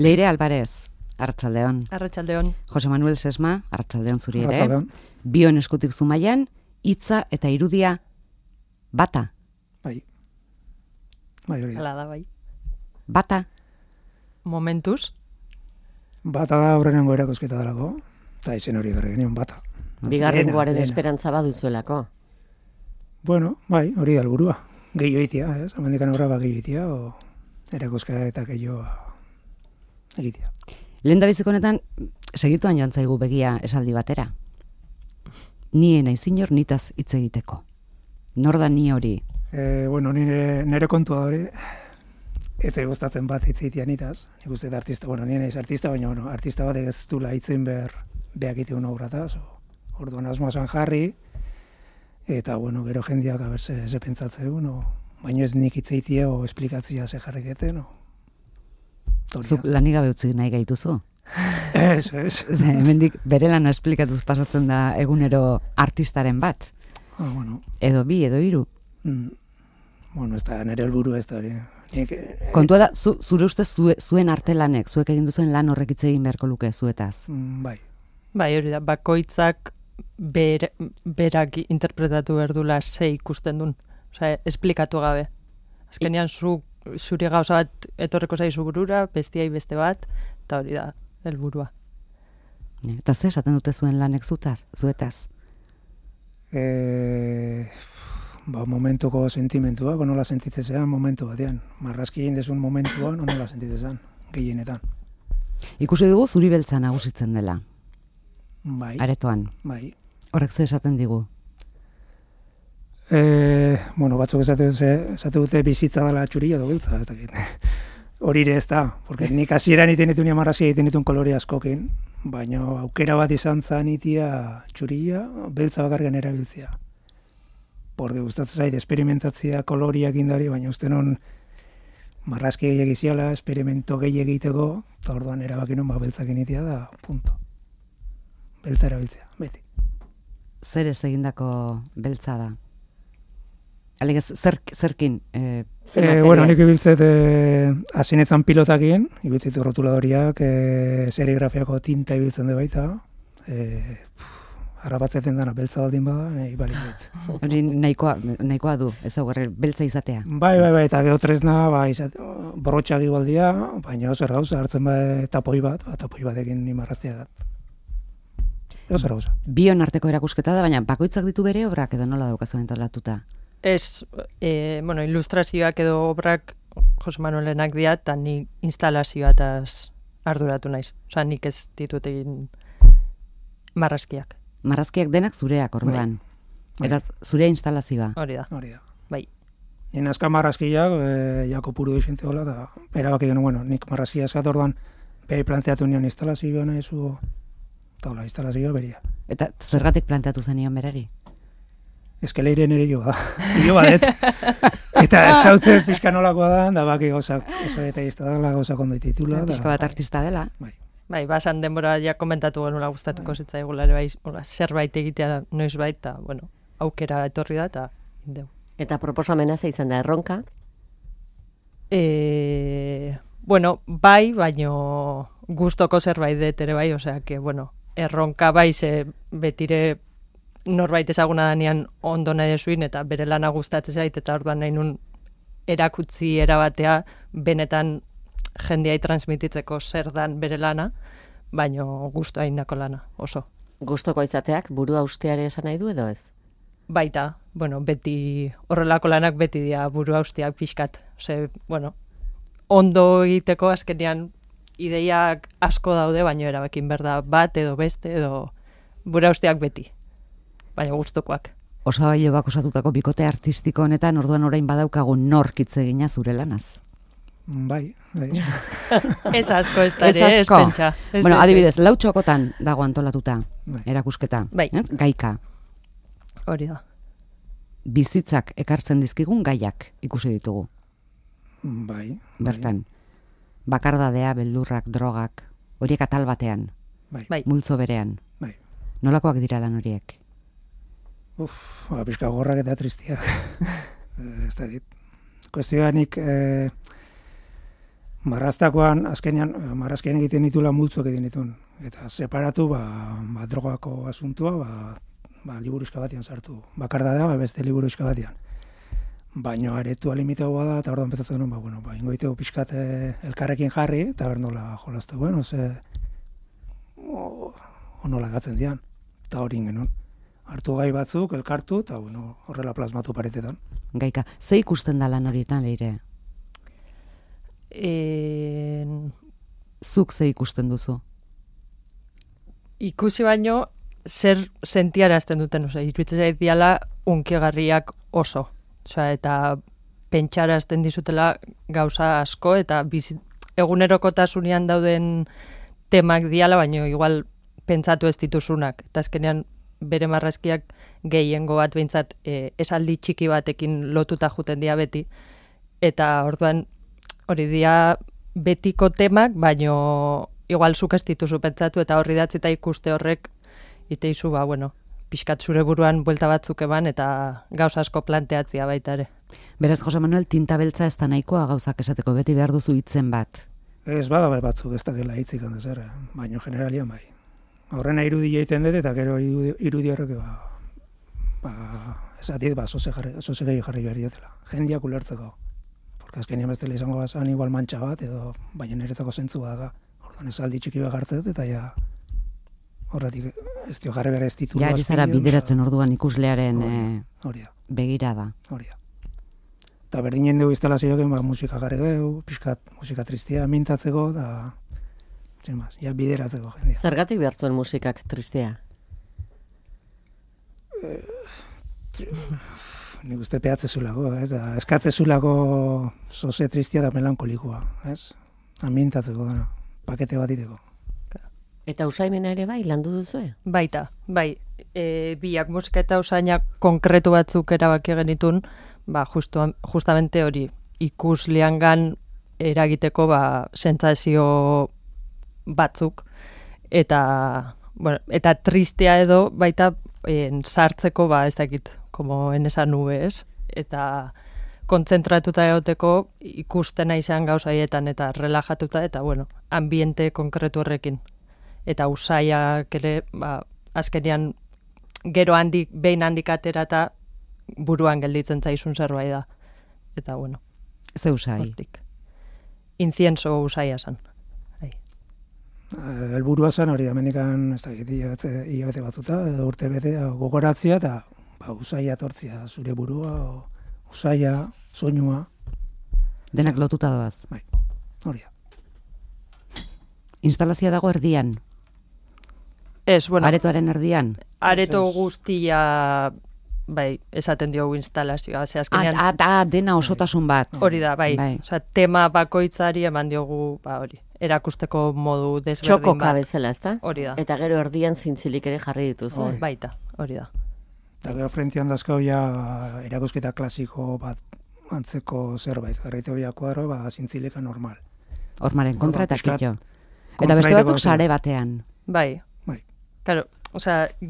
Leire Alvarez, arratsaldeon. Arratsaldeon. Jose Manuel Sesma, arratsaldeon zuri ere. Arratsaldeon. Bion eskutik Zumaian, hitza eta irudia bata. Bai. Bai, hori da. Hala da, bai. Bata. Momentuz. Bata da aurrenengo erakusketa delako, eta izen hori garri genion bata. Bigarrengoaren Lehena. esperantza baduzuelako. Bueno, bai, hori da helburua. Gehiago itia, ez? Hemendikan aurrera gehiago itia, o erakusketa eta gehiago egitea. Lehendabiziko honetan, segituan joan zaigu begia esaldi batera. Ni naiz inor nitaz hitz egiteko. Nor da ni hori? Bueno, nire kontua hori, ez zait gustatzen bat hitz egitea nitaz. Nik uste da artista, bueno, ni naiz artista, baina bueno, artista bat ez dula hitzen behar behakite una obrataz. Orduan asmoa zan jarri, eta bueno, gero jendeak aber ze pentsatzen, baina ez nik hitz egitea o esplikatzia ze jarri dieten, Zuk lanik gabe utzi nahi gaituzu? Ez. Hemendik bere lana esplikatuz pasatzen da egunero artistaren bat. Bueno. Edo bi, edo hiru. Bueno, ez da nire helburu ez da hori. Kontua da, zure ustez zuen artelanek, zuek egin duzuen lan horrek hitz egin beharko luke zuetaz. Bai. Bai, hori da, bakoitzak berak interpretatu berdula ze ikusten duen. Osea, esplikatu gabe. Azkenean zure gauza bat etorreko zaizu burura, bestiai beste bat, eta hori da, helburua. Eta ze esaten dute zuen lanek zuetaz? Momentuko sentimentua, nola sentitzezean momentu batean. Marrazki egin dezun momentuan, nola sentitzezean, gehienetan. Ikusi dugu zuri beltza nagusitzen dela. Bai. Aretoan. Bai. Horrek ze esaten digu? Bueno, batzuk esate dute bizitza dela txurilla edo beltza, ez dakit. Hori ere ez da, porque nik hasieran iten ditun marrazki egiten ditun kolore askokin, baina aukera bat izan zan itia txurilla, beltza bakargan erabiltzea. Porque gustatzen zait esperimentatzea koloriak indari, baina uste non marrazki gehiago iziala, esperimento gehiago egiteko, eta orduan erabakin hon beltzakin itia da, punto. Beltza erabiltzea, beti. Zer ez egindako beltza da? Alegez, zerkin? Bueno, nik ibiltzet hasinetzan pilotakin, ibiltzet rotuladoriak, serigrafiako tinta ibiltzen du baita, harrapatzeten dana beltza baldin bada, nahi balik dut. Hori nahikoa du, ez aurre beltza izatea. Bai, eta gero tresna, borrotxak igualdia, baina zer gauza, hartzen tapoi batekin nimarraztea dat. Zer gauza. Bion arteko erakusketa da, baina bakoitzak ditu bere obrak edo nola daukazuen antolatuta? Ez, ilustrazioak edo obrak Jose Manuelenak dira, eta ni instalazioataz arduratu naiz. Osa, nik ez ditut egin marrazkiak. Marrazkiak denak zureak, orduan. Bai. Eta zure instalazioa. Hori da. Bai. Nien azka marrazkiak, jako puru dixente hola, da erabaki genuen, bueno, nik marrazkia eskat orduan, behi planteatu nion instalazioa nahizu, eta instalazioa beria. Eta zergatik planteatu zenion berari? Eskeleire nire joa da. Joa det. Eta esautzen pixka nolakoa da, da baki gauzak, oso eta izta dela gauzak ondo dititula. Pixka bat artista dela. Bai, basan denbora ja komentatu genula gustatuko zitzaigula ere bai, zerbait egitea noizbait, eta, bueno, aukera etorri da, eta indeu. Eta proposamena ze izan da erronka? Bueno, bai, baino gustoko zerbait dut ere bai, osea, que, bueno, erronka bai, ze betire norbait ezaguna danean ondo nahi desuin, eta bere lana gustatzen zait, eta orduan nahi nun erakutzi erabatea, benetan jendeai transmititzeko zer dan bere lana, baino gustoa indako lana, oso. Gustoko izateak burua usteare esan nahi du edo ez? Baita, bueno, beti, horrelako lanak beti dira burua usteak pixkat. Ose, bueno, ondo egiteko azkenean ideiak asko daude, baino erabakin berda bat edo beste edo burua usteak beti. Baina gustukoak. Osabailo bak osatutako bikote artistiko honetan orduan orain badaukagu nork hitz egina zure lanaz. Bai. Ez asko ez da ere, ez pentsa. Bueno, adibidez, 4 txokotan dago antolatuta erakusketa. Bai. Gaika. Hori da. Bizitzak ekartzen dizkigun gaiak ikusi ditugu. Bai. Bertan. Bakardadea, beldurrak, drogak, horiek atal batean. Bai. Multzo berean. Bai. Nolakoak dira lan horiek? Pixka gorrak eta tristiak. Ez da dit. Kuestioa nik, Marraztakoan, azkenean, marrazkean egiten ditula multzuak egiten ditun. Eta separatu, drogako asuntua, liburuxka batean sartu. Bakardadea, beste liburuxka batean. Baina aretua limitagoa da, eta orduan pentsatzen genuen, ingoiteko pixkat elkarrekin jarri, eta bernola jolazte, nola gatzen dian. Eta hori ingenuen. Hartu gai batzuk, elkartu, eta horrela plasmatu paretetan. Gaika, ze ikusten da lan horietan, Leire? Zuk ze ikusten duzu? Ikusi baino, zer sentiarazten duten, iruditzen zait diala unkigarriak oso. Eta pentsarazten dizutela gauza asko, eta egunerokotasunean dauden temak diala, baino igual pentsatu ez dituzunak. Eta azkenean bere marrazkiak gehiengo bat behintzat esaldi txiki batekin lotuta juten dia beti. Eta orduan hori dia betiko temak, baino igual zuk ez dituzu pentsatu, eta horri datzita ikuste horrek iteizu, pixkat zure buruan buelta batzuk eban, eta gauza asko planteatzia baita ere. Beraz, Jose Manuel, tinta beltza ez da nahikoa gauzak esateko, beti behar duzu hitzen bat. Ez bada batzuk, ez da gela hitzik handez ere, baino generalian bai. Horrena irudia egiten dut, eta gero irudia horrek, esatit, zoze gehi jarri behar dietela. Jendiak ulertzeko. Porque azkenean bestela izango bazan igual mantxa bat, edo baina niretzako zentzu badaga. Orduan esaldi txiki bat hartzet, eta ja horretik ez dio jarri behar ez titulu. Ja, zara bideratzen orduan ikuslearen begirada. Hori da. Eta berdinen dugu instalazioak musika jarri dugu, pixkat musika tristia mintatzeko, da bideratzeko jendia. Zergatik behar zuen musikak tristea? Nik uste pehatzezulako, eskatzezulako zoze tristia da melankolikoa, mintatzeko dena, pakete bat iteko. Eta usaimena ere bai, landu duzue? Baita, bai. Biak musika eta usainak konkretu batzuk erabaki genitun, justamente hori ikusleangan eragiteko sentsazio batzuk, eta tristea edo baita sartzeko, ez dakit, como en esa nube, eta kontzentratuta egoteko ikustena izan gauzaietan eta relajatuta, eta ambiente konkretu horrekin. Eta usaiak ere, azkenean gero behin handik atera eta buruan gelditzen zaizun zerbait da. Eta ze usai? Incienso usaia zan. Helburua zan hori, amendikan ez dakit, hilabete batzuta, edo urte bete, gogoratzia, eta usaia tortzia, zure burua, usaia, soinua. Denak lotuta doaz. Bai, hori da. Instalazioa dago erdian? Ez, aretoaren erdian? Areto guztia, esaten diogu instalazioa. Dena osotasun bat. Hori da, tema bakoitzari eman diogu, erakusteko modu desberdin bat. Txokoka bezala, ezta? Hori da. Eta gero erdian zintzilik ere jarri dituzu. Baita, hori da. Eta gero frentian dazkau erakusketa klasiko bat antzeko zerbait. Garrite hobia kuadro, zintzilika normal. Hormaren kontra eta kitxo. Eta beste batzuk sare batean. Bai. Claro,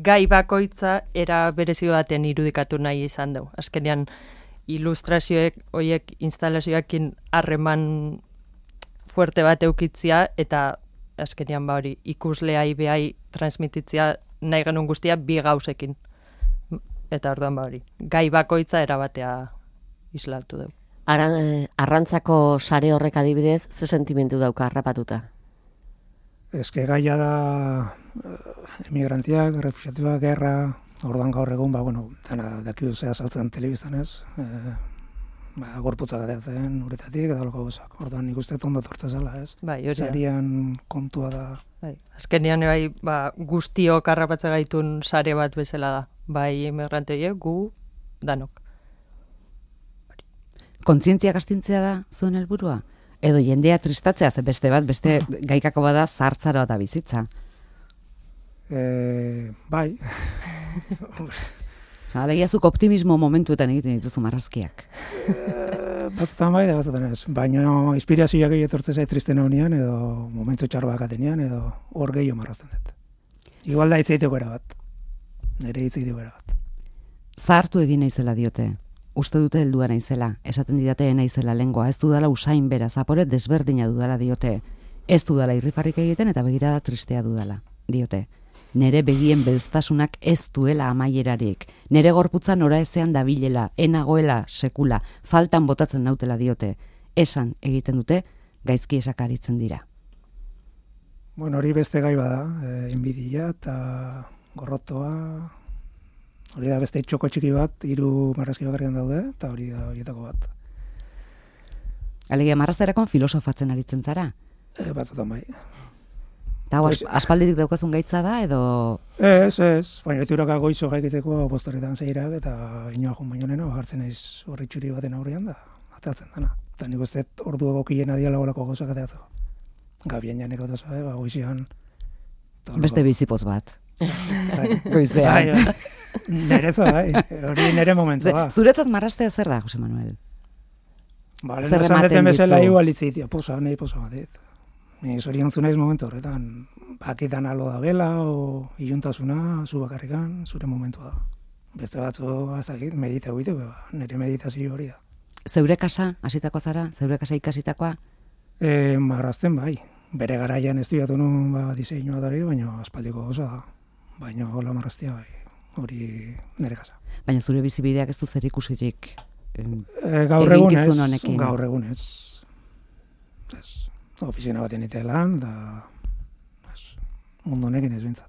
gai bakoitza era berezio baten irudikatu nahi izan dugu. Azkenean, ilustrazioek, horiek instalazioekin harreman fuerte bat eukitzia, eta azkenean ikusleai behai transmititzia nahi genuen guztia bi gauzekin. Eta orduan gai bakoitza erabatea islatu dugu. Arrantzako sare horrek adibidez, ze sentimentu dauka harrapatuta? Eske gaia da emigrantiak, refuxiatuak, gerra, orduan gaur egun, dana dakiu zea saltzen telebiztan ez, gorputzak adeatzen uretatik, eta loko guzak. Orduan nik uste ondo tortza zela, ez? Zarian kontua da. Azkenean, guztiok harrapatza gaitun sare bat bezala da. Bai, emigranteie, gu, danok. Kontzientziak astintzea da zuen helburua? Edo jendea tristatzea, beste gaikako bada zartzaroa eta bizitza. Bai. Alegiazuk optimismo momentuetan egiten dituzu marrazkiak. Batzutan bai, da batzutan ez. Baina inspirazioak etortzen zait tristen honean, edo momentu txarroak atenean, edo hor gehiago marrazten dut. Igual da hitzeiteko era bat. Nire hitzeiteko era bat. Zahartu egin naizela diote. uste dute heldua naizela, esaten didate naizela lengoa, ez dudala usain bera, zapore desberdina dudala diote, ez dudala irrifarrik egiten eta begirada tristea dudala, diote. Nere begien belztasunak ez duela amaierarik, nere gorputza nora ezean dabilela, enagoela sekula, faltan botatzen nautela diote, esan egiten dute, gaizki esakaritzen dira. Bueno, hori beste gai bada, inbidia eta gorrotoa, hori da beste txoko txiki bat, 3 marrazki bakarrian daude, eta hori da horietako bat. Alegia, marrazterakon filosofatzen aritzen zara? Batzutan bai. Eta hau aspalditik daukazun gaitza da, edo... Ez, baina eturaka goizo gaikiteko postoretan zeirak, eta inoa jun baino nena, jartzen naiz horri txuri baten aurrean da, atatzen dana. Eta nik uste ordu egokien adiala golako gozak ateatzeko. Gabien janeko eta zabe, goizian... Beste bizipoz bat. Goizean. Nerezo, hori nere momentua. Zuretzat marraztea zer da, Jose Manuel? Zer ematen dizu? Bezala igual itzitia, posa batet. Ni zoriontzu naiz momentu horretan, bakitan alo da bela, o iluntasuna, zu bakarrikan, zure momentua da. Beste batzu, azakit, medita egiteko, nire meditazio hori da. Zeure kasa, hasitako zara? Zeure kasa ikasitakoa? Marrazten bai. Bere garaian estudiatu nun diseinua dari, baina aspaldiko goza da. Baina hola marraztia bai, hori nire kasa. Baina zure bizibideak ez du zer ikusirik gaur eginkizun honekin? Gaur egunez. Ofizina baten itelan, da mundu honekin ez bintzat.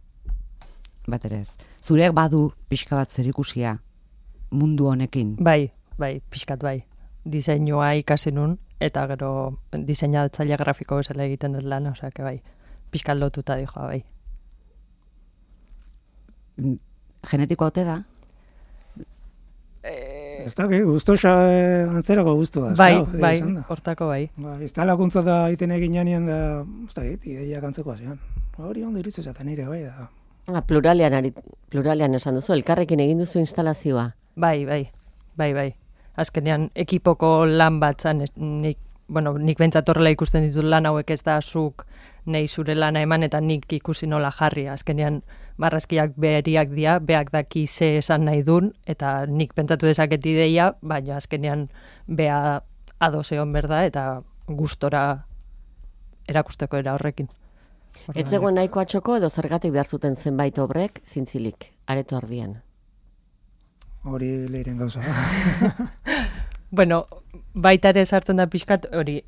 Bat ere ez. Zureak badu pixka bat zer ikusia mundu honekin? Bai, pixkat bai. Diseinua ikasi nun, eta gero diseinatzaile grafiko bezala egiten dut lan, osea, bai, pixkat lotuta dijoa, bai. Genetiko ote da? Ez da, guztosa antzerako guztu da. Bai, hortako bai. Ez da lakuntza da iten egin janean da, ez da, ideiak antzeko azean. Hori ondo iritzu zaten nire, bai da. Pluralean esan duzu, elkarrekin egin duzu instalazioa. Bai. Azkenean, ekipoko lan bat zan, nik bentsat horrela ikusten ditut lan hauek ez da zuk nahi zure lana eman eta nik ikusi nola jarri. Azkenean, marrazkiak beheriak dira, beak daki ze esan nahi dun, eta nik pentsatu dezaket ideia, baina azkenean bea ados egon berda eta gustora erakusteko era horrekin. Ez zegoen nahiko atxoko edo zergatik behar zuten zenbait obrek zintzilik, areto ardian? Hori lehiren gauza da. Bueno, baita ere sartzen da pixkat hori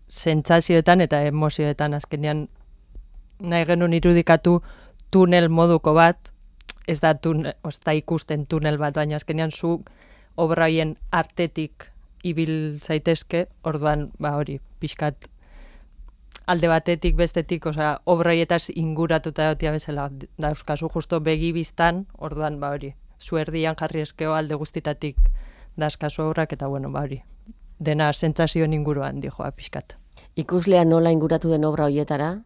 sentsazioetan eta emozioetan azkenean nahi genuen irudikatu tunel moduko bat, ez da ikusten tunel bat, baina azkenean zu obra horien artetik ibil zaitezke, orduan hori pixkat alde batetik bestetik, osea, obra horietaz inguratuta egotia bezala, da euskazu justo begibiztan, orduan hori, zu erdian jarri eskeo alde guztitatik daskazu obrak, eta hori, dena sentsazioen inguruan dijoa pixkat. Ikuslea nola inguratu den obra horietara?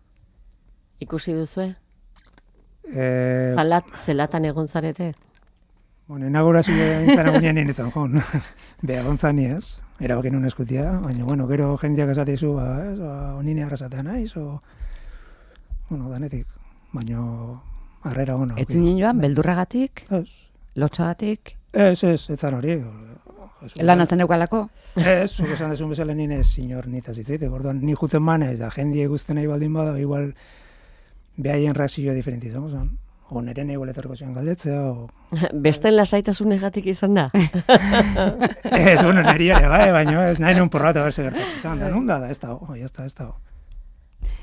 Ikusi duzue? Zelatan egon zarete? Bueno, inaugurazioa intzara gunean nien izan, joan. Beha gontzani ez, erabakin un eskutia, baina, gero jendeak esatizu, onine arrasatea naiz, danetik, baina harrera ona. Ez zinen joan, beldurragatik? Ez. Lotxagatik? Ez zan hori. Lan azen eukalako? Ez, zuk esan desun bezala nien ez sinor nitaz itzaitek, orduan ni jutzen manez, da jendie guzten nahi baldin bada, igual behaien reakzioa diferenti izango zen. O nire nahi boletarko zian galdetzea, Besten lasaitasunegatik izan da? Ez, niri ere, baina ez nahi nun porratu berse gertatzen zan, da nun da, ez da.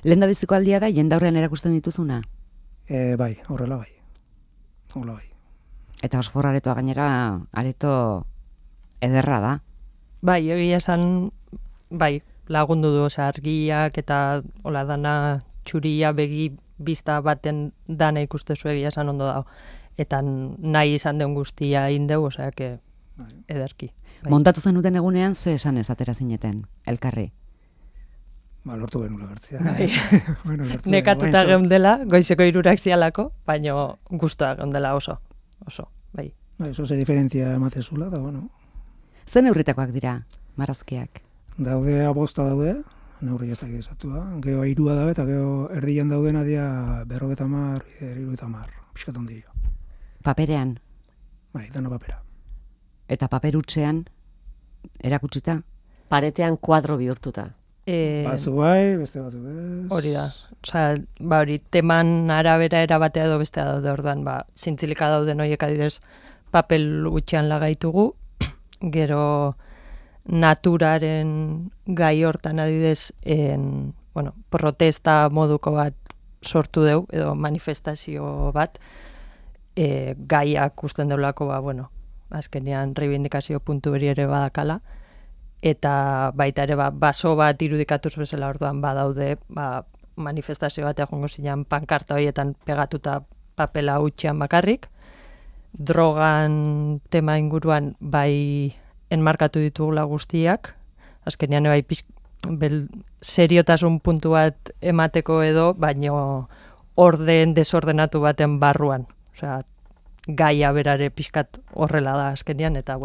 Lehen da biziko aldia da, jendaurrean erakusten dituzuna? Bai, horrela bai. Eta Osfor aretoa gainera, areto ederra da. Bai, egia esan, lagundu du, argiak eta hola dana txuria begi bizta baten dana ikustezu egia esan ondo dago. Eta nahi izan den guztia indeu, ederki. Montatu zenuten egunean, ze esan ez atera zineten, elkarri? Lortu genula gertzea. Nekatuta geundela, goizeko 3 zialako, baina guztua geundela oso, bai. Eso ze diferentzia ematezula, da, bueno. Ze neurritakoak dira, marrazkiak? Daude abosta daude, neurri ez dakit esatua. Geo 3 daude, eta geo erdian daudena dia 50, 60, pixkat ondio. Paperean? Bai, dana papera. eta paperutxean erakutsita? Paretean kuadro bihurtuta. Batzu bai, beste batzu ez. Hori da. Osea, hori teman arabera erabatea edo bestea daude orduan, zintzilika dauden horiek adidez papel utxean lagaitugu, gero naturaren gai hortan adidez protesta moduko bat sortu deu, edo manifestazio bat, gaiak usten deulako, azkenean reivindikazio puntu beri ere badakala, eta baita ere baso bat irudikatuz bezala orduan badaude manifestazio bat egongo zinean pankarta horietan pegatuta papela utxean bakarrik, drogan tema inguruan bai enmarkatu ditugula guztiak, azkenean bai seriotasun puntu bat emateko edo, baino desordenatu baten barruan. Osea, gaia berare pixkat horrela da azkenean, eta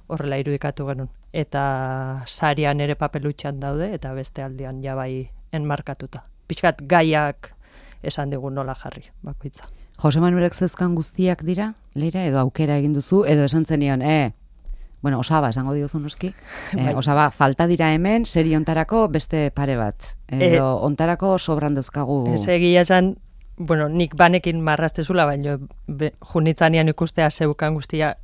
horrela irudikatu genuen. Eta sarian ere papelutxan daude, eta beste aldean ja bai enmarkatuta. Pixkat gaiak esan digu nola jarri, bakoitza. Jose Manuelek zeuzkan guztiak dira, Leira, edo aukera egin duzu, edo esan zenion, Osaba, esango diozu noski, Osaba, falta dira hemen, seri ontarako beste pare bat, edo ontarako sobran dauzkagu. Egia esan, nik banekin marraztezula, baina junitzanean ikustea zeukan guztia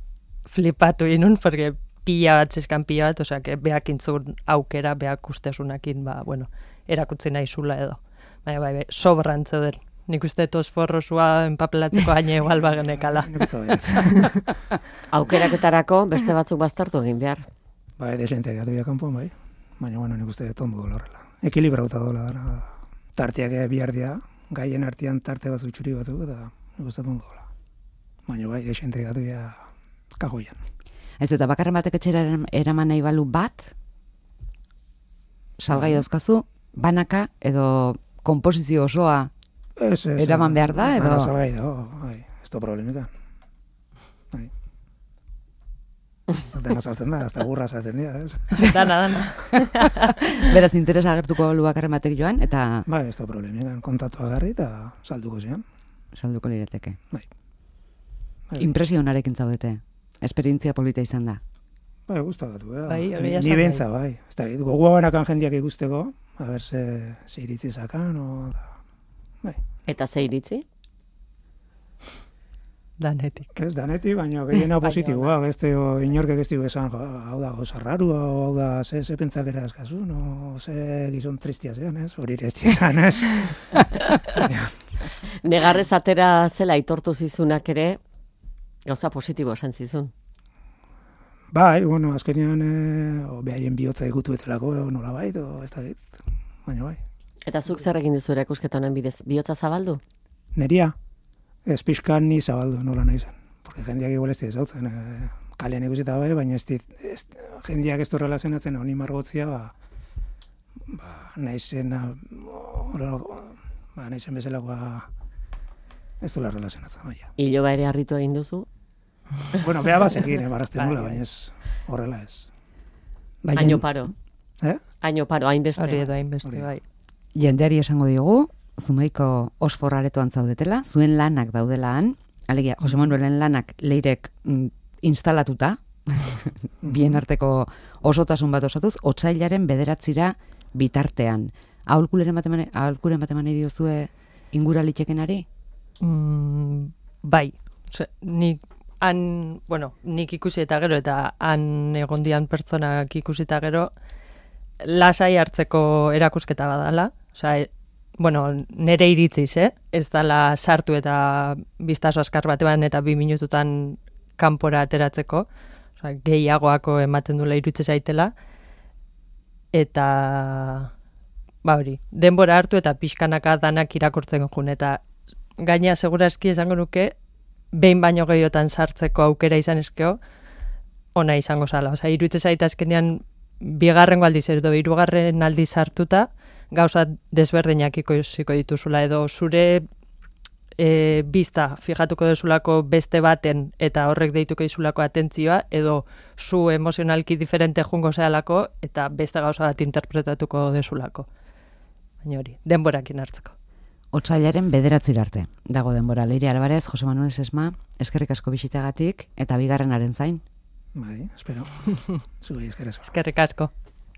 flipatu inun, porque pila bat zizkan pila bat, osea, beak intzun aukera, beak ustezunakin, erakutzi nahi zula edo. Baina, sobran zeuden. Nik uste tosforrosua enpapelatzeko haine igual bagenekala. Aukeraketarako beste batzuk baztertu egin behar. Desente gatu ya kanpoan, bai. Baina, nik uste tondo dola horrela. Ekilibrauta dola dara. Tartiak bihar dira, gaien artean tarte batzuk txuri batzuk, eta nik uste tondo dola. Baina, desente gatu ya kagoian. Ez eta bakarren batek etxera eraman nahi balu bat, salgai dauzkazu, banaka edo komposizio osoa eraman behar da, edo? Salgai da, ez da problemika. Dena saltzen da, hasta burra saltzen dira, ez? Dana. Beraz, interesa agertuko balu bakarren batek joan, eta... Ez da problemika, kontatu agarri eta salduko zian. Salduko lirateke. Impresionarekin zaudete. Esperientzia polita izan da. Gustatu, ni bentza, Ez da, gogoa banakan jendiak ikusteko, a ber, ze iritzi zakan, Eta ze iritzi? Danetik. Ez danetik, baina gehiena positiboa, inorkek ez dugu esan, hau da goza raru, hau da ze pentsakera eskazu, ze gizon tristia zean, hori ere ez dizan, ez? Negarrez atera zela aitortu zizunak ere, gauza positibo esan zizun. Azkenean, behaien bihotza egutu etelako, nola bai, ez da dit, baina bai. Eta zuk zer egin duzu erakusketa honen bidez, bihotza zabaldu? Neria, ez pixkan ni zabaldu nola nahi zen. Porque jendeak igual ez dizautzen, kalean ikusita bai, baina jendeak ez du relazionatzen honi margotzia, nahi zen bezalakoa ez duela relazionatzen, baina. Iloba ere harritu egin duzu? Beha bazekin, barrazten nula, baina ez horrela ez. Aino paro. Aino paro, hainbeste. Hori edo hainbeste, bai. Jendeari esango diogu, Zumaiko osforaretoan zaudetela, zuen lanak daudela han, alegia, Jose Manuelen lanak Leirek instalatuta, bien arteko osotasun bat osatuz, otsailaren 9 bitartean. Aholkuren bat eman diozue inguralitzekenari? Bai. Nik ikusi eta gero, eta han egondian pertsonak ikusi eta gero, lasai hartzeko erakusketa badala. Nere iritziz, ez dala sartu eta biztaso askar batean eta 2 minututan kanpora ateratzeko. Gehiagoako ematen dula iritzi zaitela. Eta, hori, denbora hartu eta pixkanaka danak irakurtzen jun. Eta gaina segurazki esango nuke, behin baino gehiotan sartzeko aukera izan eskeo, ona izango zala. Iruditzen zaita azkenean bigarrengo aldiz edo 3. aldiz sartuta, gauza desberdinak ikusiko dituzula edo zure bizta fijatuko dezulako beste baten eta horrek deituko dizulako atentzioa edo zu emozionalki diferente jungo zehalako eta beste gauza bat interpretatuko dezulako. Baina hori, denborakin hartzeko. Otsailaren 9 arte. Dago denbora. Leire Alvarez, Jose Manuel Sesma, eskerrik asko bisitagatik eta bigarrenaren zain. Bai, espero. Zuei eskerrik asko. Eskerrik asko.